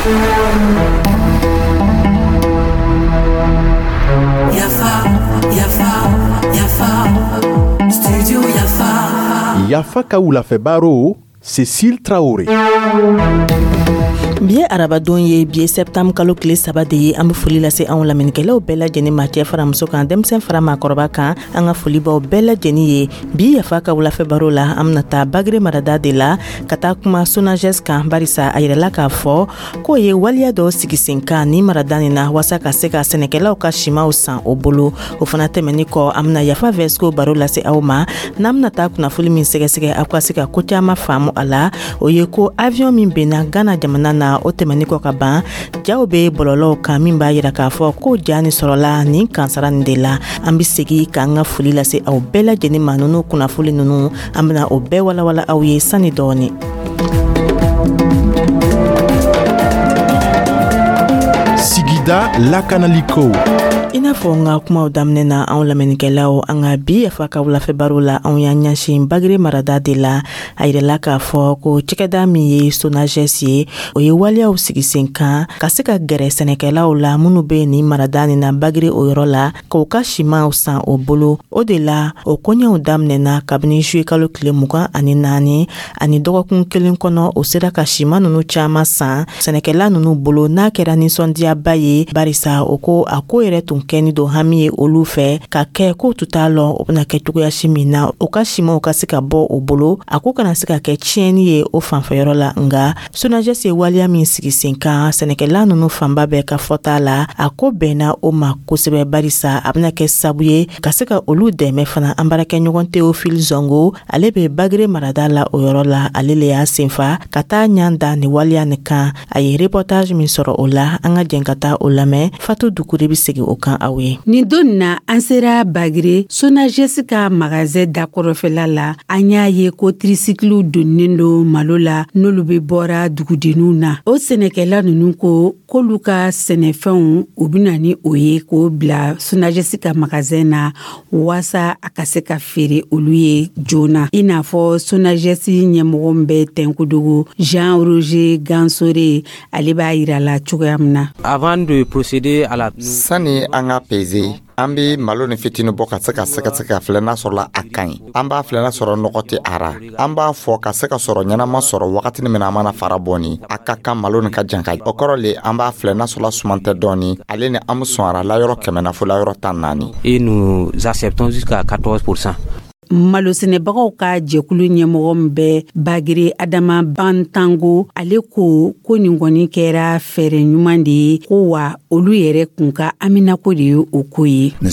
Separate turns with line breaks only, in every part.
Yafa, Yafa, Yafa, Studio Yafa.
Yafa ka wulafɛ baro, Cécile Traoré.
Bi ye arabadon ye, bi ye septembre kalo tile 3 de ye. An be foli lase anw lamɛnnikɛlaw bɛɛ lajɛnin ma, cɛɛ fara muso kan, denmisɛn fara maakɔrɔba kan. An ka foli b'aw bɛɛ lajɛnin ye. Bi Yafa ka wulafɛ baro la, an bena taa Bagere marada de la ka taa kuma Sonages kan, barisa a yirala k'a fɔ k'o ye waleya dɔ sigi sen kan ni marada nin na, waasa ka se ka sɛnɛkɛlaw ka simaw san o bolo. O fana tɛmɛni kɔ, an bena Yafa Vɛsko baro lase aw ma. N'an bena taa kunnafoli min sɛgɛsɛgɛ, aw ka se ka ko caaman faamu a la, o ye ko avion min benna Ghana jamana na, o tɛmɛni kɔ ka ban, jaw be bɔlɔlɔw kan min b'a yira k'a fɔ ko ja nin sɔrɔla nin kansara nin de la. An be segi k'an ka foli lase aw bɛɛ lajɛnin ma. Nunu kunnafoli nunu, an bena o bɛɛ walawala aw ye sani dɔɔni.
Sigida lakanaliko.
I n'a fɔ n ka kumaw daminɛ na, anw lamɛnnikɛlaw, an ka bi Yafa ka wulafɛ baro la, anw y'an ɲɛsin Bagere marada de la. A yirala k'a fɔ ko cɛkɛda min ye Sonages ye, o ye waleyaw sigi sen kan ka se ka gɛrɛ sɛnɛkɛlaw la minnu bɛ nin marada nin na, Bagere o yɔrɔ la, k'u ka simanw san o bolo. O de la, o koɲɛw daminɛna kabini juillet kalo tile 24, ani dɔgɔkun kelen kɔnɔ, o sera ka siman ninnu caman san sɛnɛkɛla ninnu bolo. N'a kɛra nisɔndiyaba ye, barisa o ko a ko yɛrɛ tun kɛni don hami ye olu fɛ ka kɛ k'o tun t'a lɔn o bɛna kɛ cogoya si min na o ka simanw ka se ka bɔ o bolo, a ko kana se ka kɛ tiɲɛni ye o fanfɛyɔrɔ la. Nka Sonages ye waleya min sigi sen kan, sɛnɛkɛla ninnu fanba bɛɛ ka fɔta la, a ko bɛnna o ma kosɛbɛ, barisa a bɛna kɛ sabu ye ka se ka olu dɛmɛ fana. An baarakɛɲɔgɔn Théophile Zongo, ale bɛ Bagere marada la o yɔrɔ la, ale le y'a senfa ka taa ɲan da nin waleya nin kan. A ye reportage min sɔrɔ o la, an ka jɛn ka taa o lamɛn. Fatu Dukure bɛ segin o kan aw ye.
Nin don na, an sera Bagere Sonages ka magasin dakɔrɔfɛla la. An y'a ye ko tricycle donnen don malo la, n'olu bɛ bɔra dugudenninw na. O sɛnɛkɛla ninnu ko k'olu ka sɛnɛfɛnw, u bɛna ni o ye k'o bila Sonages ka magasin na, waasa a ka se ka feere olu ye joona. I n'a fɔ Sonages ɲɛmɔgɔ min bɛ Tɛnkudugu, Jean Roger Gansore, ale b'a yira la cogoya min na.
Avant de procéder à la
Sani an ka peze, an be malo ni fitini bɔ ka se ka sɛgɛsɛgɛ ka filɛ n'a sɔrɔla a ka ɲi. An b'a filɛ n'a sɔrɔ nɔgɔ tɛ a ra. An b'a fɔ ka se ka sɔrɔ ɲɛnama sɔrɔ wagatini min na an mana fara bɔ ni a ka kan malo nin ka jan ka. O kɔrɔ le, an b'a filɛ n'a sɔrɔla suman tɛ dɔɔni. Ale ni an be sɔn a ra layɔrɔ 100 na fo layɔrɔ 14.
Et nous acceptons jusqu'à 14%.
Malosɛnɛbagaw ka jɛkulu ɲɛmɔgɔ min bɛ Bagere, Adama Bantango, ale ko ko nin kɔni kɛra fɛɛrɛ ɲuman de ye, ko wa olu yɛrɛ kun ka aminako de ye o ko ye.
A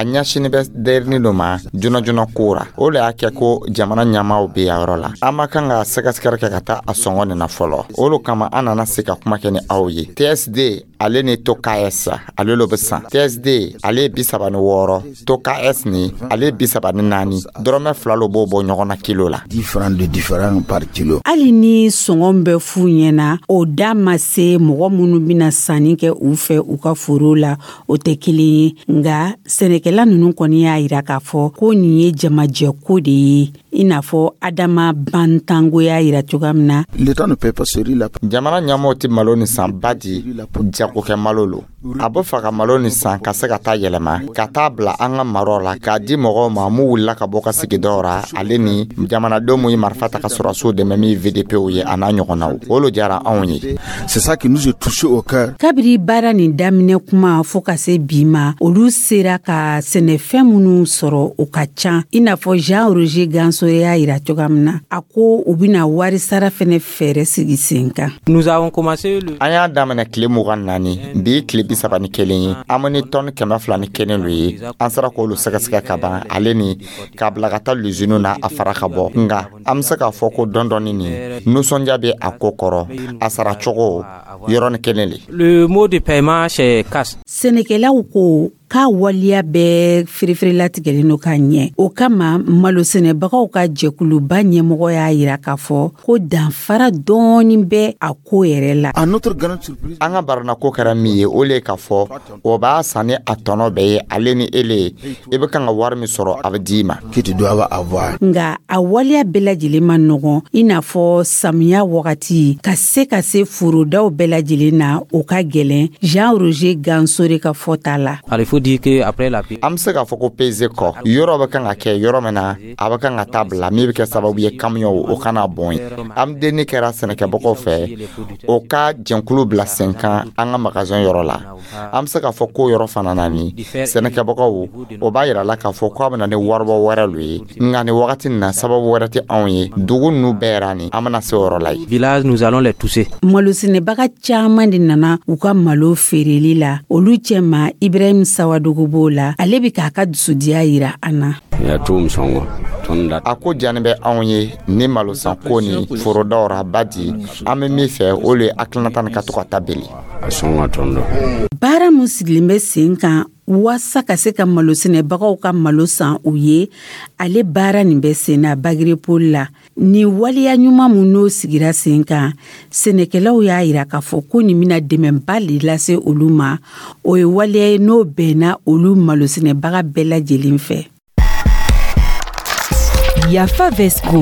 ɲɛsini bɛ derini dɔ ma joona joona ko ra. O le y'a kɛ ko jamana ɲɛmaaw bɛ yan yɔrɔ la, an ma kan ka sɛgɛsɛgɛli kɛ ka taa a sɔngɔ nin na fɔlɔ. O lo kama an nana se ka kuma kɛ ni aw ye. TSD ale ni Toka S, ale lo bɛ san. TSD ale ye 36, Toka S ni ale ye 34, dɔrɔmɛ 2 lo b'o bɔ ɲɔgɔn na kilo la.
Hali ni sɔngɔ bɛ f'u ɲɛna, o da ma se mɔgɔ minnu bɛna sanni kɛ u fɛ u ka foro la, o tɛ kelen ye. Nka sɛnɛkɛla ninnu kɔni y'a yira k'a fɔ ko nin ye jamajɛko de ye, i n'a fɔ Adama Bantango y'a yira cogoya min na.
Jamana ɲɛmɔgɔw tɛ malo ni san ba di jagokɛ malo lo. A bɛ fɛ ka malo ni san ka se ka taa yɛlɛma ka taa bila an ka maraw la k'a di mɔgɔw ma mun wulila ka bɔ ka sigidaw ra, ale ni jamanadenw mun ye marifa ta ka sɔrɔdasiw dɛmɛ, min ye VDPw ye, a n'a ɲɔgɔnnaw. O lo diyara anw ye.
Kabiri baara nin daminɛ kuma fɔɔ ka se bi ma, olu sera ka sɛnɛfɛn minnu sɔrɔ, o ka ca, i n'a fɔ Jean Roger Gansore y'a yira cogoya min na. A ko u bɛna wari sara fɛnɛ fɛɛrɛ sigi sen kan.
Nous avons commencé le
An y'a daminɛ tile 24, bi tile 31 ye. An ni tɔni 201 lo ye. An sera k'olu sɛgɛsɛgɛ ka ban, ale ni k'a bila ka taa luziniw na, a fara ka bɔ. Nga an be se k'a fɔ ko dɔɔni dɔɔni nin, nisɔndiya bɛ a ko kɔrɔ, a sara cogo. Yɔrɔnin kelen le.
Le mode de paiement, c'est cash.
Sɛnɛkɛlaw ko k'a waleya bɛɛ fereferelatigɛlen don ka ɲɛ. O kama, malosɛnɛbagaw ka jɛkuluba ɲɛmɔgɔ y'a yira k'a fɔ ko danfara dɔɔni bɛ a ko yɛrɛ la.
An ka baranako kɛra min ye, o le ye k'a fɔ o b'a san ni a tɔnɔ bɛɛ ye, ale ni ele ye. I bɛ kan ka wari min sɔrɔ, a bɛ d'i ma.
Nga a waleya bɛɛ lajɛlen ma nɔgɔn, i n'a fɔ samiya wagati, ka se forodaw bɛɛ lajɛlen na, o ka gwɛlɛn. Jean Roger Gansore ka fɔta la.
Alors, il faut dire que après la
An bɛ se k'a fɔ ko peze kɔ, yɔrɔ bɛ kan ka kɛ yɔrɔ min na, a bɛ kan ka taa bila min bɛ kɛ sababu ye kamiyɔnw o kana bɔn ye. An denni kɛra sɛnɛkɛbagaw fɛ, o ka jɛnkulu bila sen kan an ka magasin yɔrɔ la. An bɛ se k'a fɔ ko yɔrɔ fana na, ni sɛnɛkɛbagaw, o b'a yira la k'a fɔ k'a bɛ na ni waribɔ wɛrɛ lo ye. Nka nin wagati nin na, sababu wɛrɛ tɛ anw ye. Dugu ninnu bɛɛ yɛrɛ ni an bɛna se o yɔrɔ la yen.
Village, nous allons les toucher.
Malosɛnɛbaga caaman de nana u ka malo feereli la. Olu cɛma, Ibrahim Sawadogo b'o la. Ale be k'a ka dusudiya yira an na.
A ko diyanin bɛ anw ye ni malosanko ni forodaw ra badi. An bɛ min fɛ, o le ye hakilinata nin ka to ka taa beli.
Baara mun sigilen bɛ sen kan waasa ka se ka malosɛnɛbagaw ka malo san u ye, ale baara nin bɛ sen na Bagre Pôle la. Nin waleya ɲuman mun n'o sigira sen kan, sɛnɛkɛlaw y'a yira k'a fɔ ko nin bɛna dɛmɛba de lase olu ma. O ye waleya ye n'o bɛnna olu malosɛnɛbaga bɛɛ lajɛlen fɛ.
Yafa Vesco.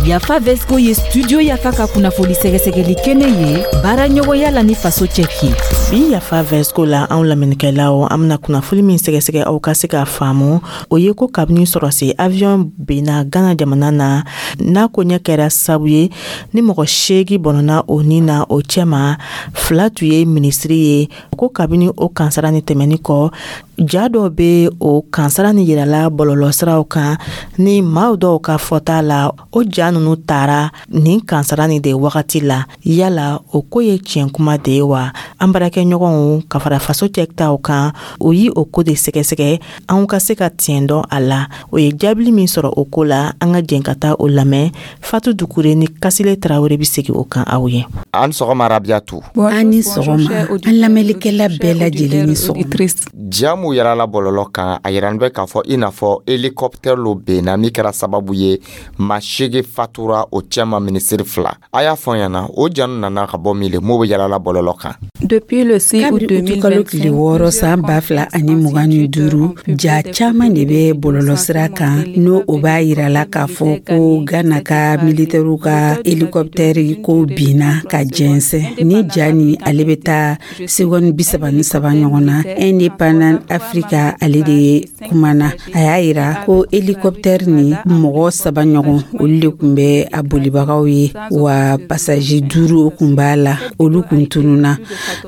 Yafa Vesco ye Studio Yafa ka kunnafoni sɛgɛsɛgɛli kɛnɛ ye, baara ɲɔgɔnya la ni Faso Cɛki.
Bi Yafa Vesco la, anw lamɛnnikɛlaw, an bena kunnafoni min sɛgɛsɛgɛ aw ka se k'a faamu, o ye ko kabini sɔrɔsi avion benna Gana jamana na, n'a ko ɲɛ kɛra sabu ye ni mɔgɔ 8 bɔnɔna o ni na, o cɛma fila tun ye minisiri ye. Ko kabini o kansara ni tɛmɛni kɔ, ja dɔw be o kansara ni yirala bɔlɔlɔsiraw kan ni maaw dɔw ka fɔta la, o ja nunu tara nin kansara ni de wagati la. Yala o ko ye tiɲɛ kuma de ye wa? An baarakɛɲɔgɔnw ka fara Faso cɛtaw kan, o yi o ko de sɛgɛsɛgɛ anw ka se ka tiɲɛ dɔn a la. O ye jaabili min sɔrɔ o ko la, an ka jɛn ka taa o lamɛn. Fatu Dukure ni Kasile Tarawele bi segi o kan aw ye.
An sɔgɔma, Rabiyatu.
An ni sɔgɔma, an lamɛnlikɛla bɛɛ lajɛlen ni sɔgɔma.
Ja mun yɛrɛla bɔlɔlɔ kan, a yirani bɛ k'a fɔ i n'a fɔ hélicoptère lo benna, min kɛra sababu ye maa 8 fatura, o cɛma minisiri fila. A y'a fɔ ɲɛna, o ja nana ka bɔ min le, m'o bɛ yalala bɔlɔlɔ kan?
Kabiri utukalo tile 6 san 2025, ja caaman de bɛ bɔlɔlɔsira kan n'o o b'a yirala k'a fɔ ko Gana ka militɛriw ka hélicoptère ko binna ka jɛnsɛn. Ni ja ni ale bɛ taa segɔni 33 ɲɔgɔn na. Indépendant Africa, ale de ye kumana, a y'a yira ko hélicoptère ni mɔgɔ saba ɲɔgɔn, olu de tun bɛ a bolibagaw ye, wa passager duuru kun b'a la, olu kun tununa.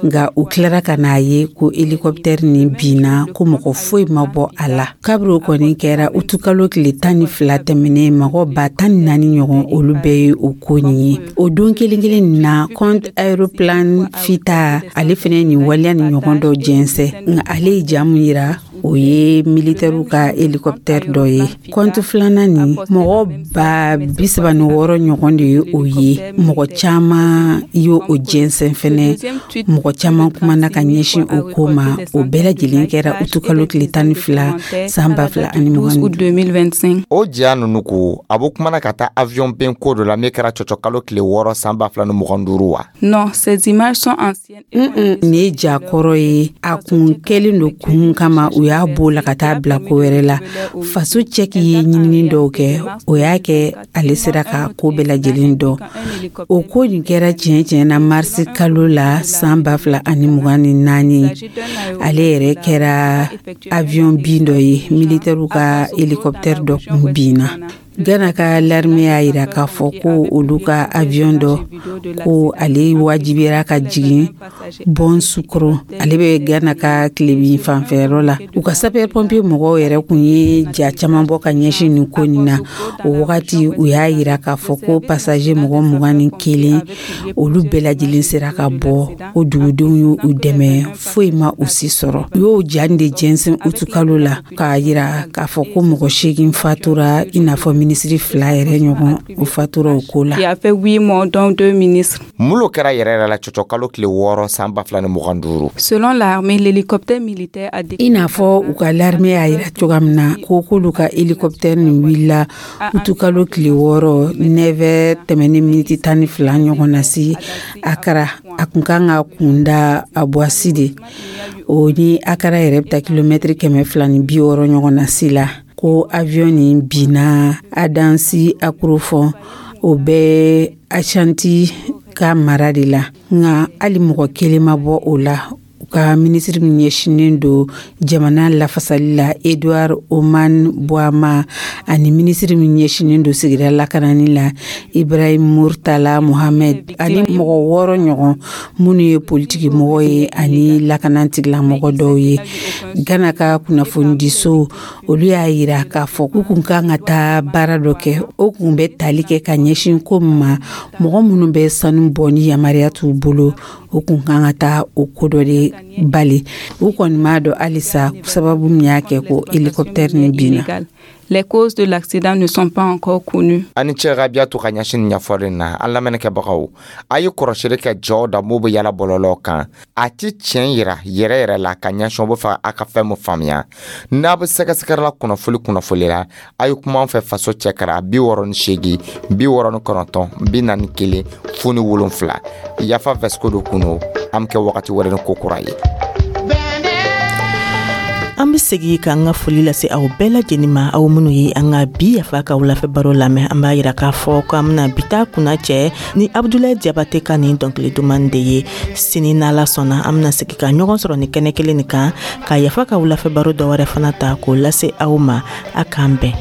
Nka u tilara ka n'a ye ko hélicoptère ni binna, ko mɔgɔ foyi ma bɔ a la. Kabiri o kɔni kɛra utukalo tile 12 tɛmɛnen, mɔgɔ 14 000 ɲɔgɔn, olu bɛɛ ye o ko nin ye. O don kelen kelen nin na, compte Aéroplan Fita, ale fɛnɛ nin waleya ni ɲɔgɔn dɔ jɛnsɛn, nka ale ye ja mun yira, o ye militɛriw ka hélicoptère dɔ ye. Compte filanan nin, mɔgɔ 36 000 ɲɔgɔn de ye o ye. Mɔgɔ caman ye o jɛnsɛn fɛnɛ, mɔgɔ caman kumana ka ɲɛsin o ko ma. O bɛɛ lajɛlen kɛra utukalo tile 12 san 2025.
O ja nunu ko a bɛ kumana ka taa avion ben ko dɔ la min kɛra cɔcɔkalo tile 6 san 2025 wa?
Nin ye ja kɔrɔ ye. A kun kɛlen don kun kama, u y'a b'o la ka taa bila ko wɛrɛ la. Faso Cɛki ye ɲinini dɔw kɛ, o y'a kɛ ale sera ka ko bɛɛ lajɛlen dɔn. O ko nin kɛra tiɲɛ tiɲɛ na marisi kalo la san 2024. Ale yɛrɛ kɛra avion bin dɔ ye, militɛriw ka hélicoptère dɔ kun binna. Gana ka l'armée y'a yira k'a fɔ ko olu ka avion dɔ, ko ale wajibiyara ka jigin Bonsukoro, ale bɛ Gana ka tilebin fanfɛyɔrɔ la. U ka sapeur pompier mɔgɔw yɛrɛ kun ye ja caman bɔ ka ɲɛsin nin ko nin na. O wagati, u y'a yira k'a fɔ ko passager mɔgɔ 21, olu bɛɛ lajɛlen sera ka bɔ, ko dugudenw y'u dɛmɛ, foyi ma u si sɔrɔ. U y'o ja de jɛnsɛn utukalo la k'a yira k'a fɔ ko mɔgɔ 8 fatura, i n'a fɔ. Minisiri fila yɛrɛ ɲɔgɔn, o fatura o ko la.
Qui a fait huit morts, dont deux ministres.
Mun lo kɛra yɛrɛ yɛrɛ la cɔcɔkalo tile 6 san 2025?
Selon l'armée, l'hélicoptère militaire a
I n'a fɔ u ka l'armée y'a yira cogoya min na ko k'olu ka hélicoptère nin wulila utukalo tile 6, 9 tɛmɛni miniti 12 ɲɔgɔn na si Akara. A kun kan ka kunda Abuasi de, o ni Akara yɛrɛ bɛ taa kilomɛtiri 260 ɲɔgɔn na si la, ko avion nin binna Adansi Akorofɔ, o bɛ Ashanti ka mara de la, nka hali mɔgɔ kelen ma bɔ o la. U ka minisiri min ɲɛsinnen don jamana lafasali la, Edouard Oman Boama, ani minisiri min ɲɛsinnen don sigida lakanani la, Ibrahim Murtala Mohamed, ani mɔgɔ wɔɔrɔ ɲɔgɔn minnu ye politiki mɔgɔ ye ani lakana tigilamɔgɔ dɔw ye. Gana ka kunnafonidiso, olu y'a yira k'a fɔ k'u kun kan ka taa baara dɔ kɛ, o kun bɛ tali kɛ ka ɲɛsin ko min ma, mɔgɔ minnu bɛ sanu bɔ ni yamaruya t'u bolo, o kun kan ka taa o ko dɔ de bali. U kɔni m'a dɔn halisa sababu min y'a kɛ ko hélicoptère nin binna.
Les causes de l'accident ne sont pas encore connues.
Ani cɛ Rabiyatu ka ɲɛsin ɲɛfɔli na. An lamɛnnikɛbagaw, a ye kɔrɔsili kɛ jɔw da m'o bɛ yala bɔlɔlɔ kan, a ti tiɲɛ yira yɛrɛ yɛrɛ la ka ɲɛsin o bɛ fɛ a ka fɛn mun faamuya. N'a bɛ sɛgɛsɛgɛli la kunnafoli kunnafoli la, a ye kuma an fɛ Faso Cɛkara 68 69 41 07. Yafa Vɛsiko do kuno, an bɛ kɛ wagati wɛrɛ ni ko kura ye.
An be segi k'an ka foli lase aw bɛɛ lajɛnin ma, aw minnu ye an ka bi Yafa ka wulafɛ baro lamɛn. An b'a yira k'a fɔ k'an bena bi ta kunna cɛ ni Abudulayi Jabate ka nin dɔnkili duman de ye. Sini, n'Ala sɔnna, an bena segi ka ɲɔgɔn sɔrɔ ni kɛnɛ kelen nin kan ka Yafa ka wulafɛ baro dɔ wɛrɛ fana ta k'o lase aw ma. A k'an bɛn.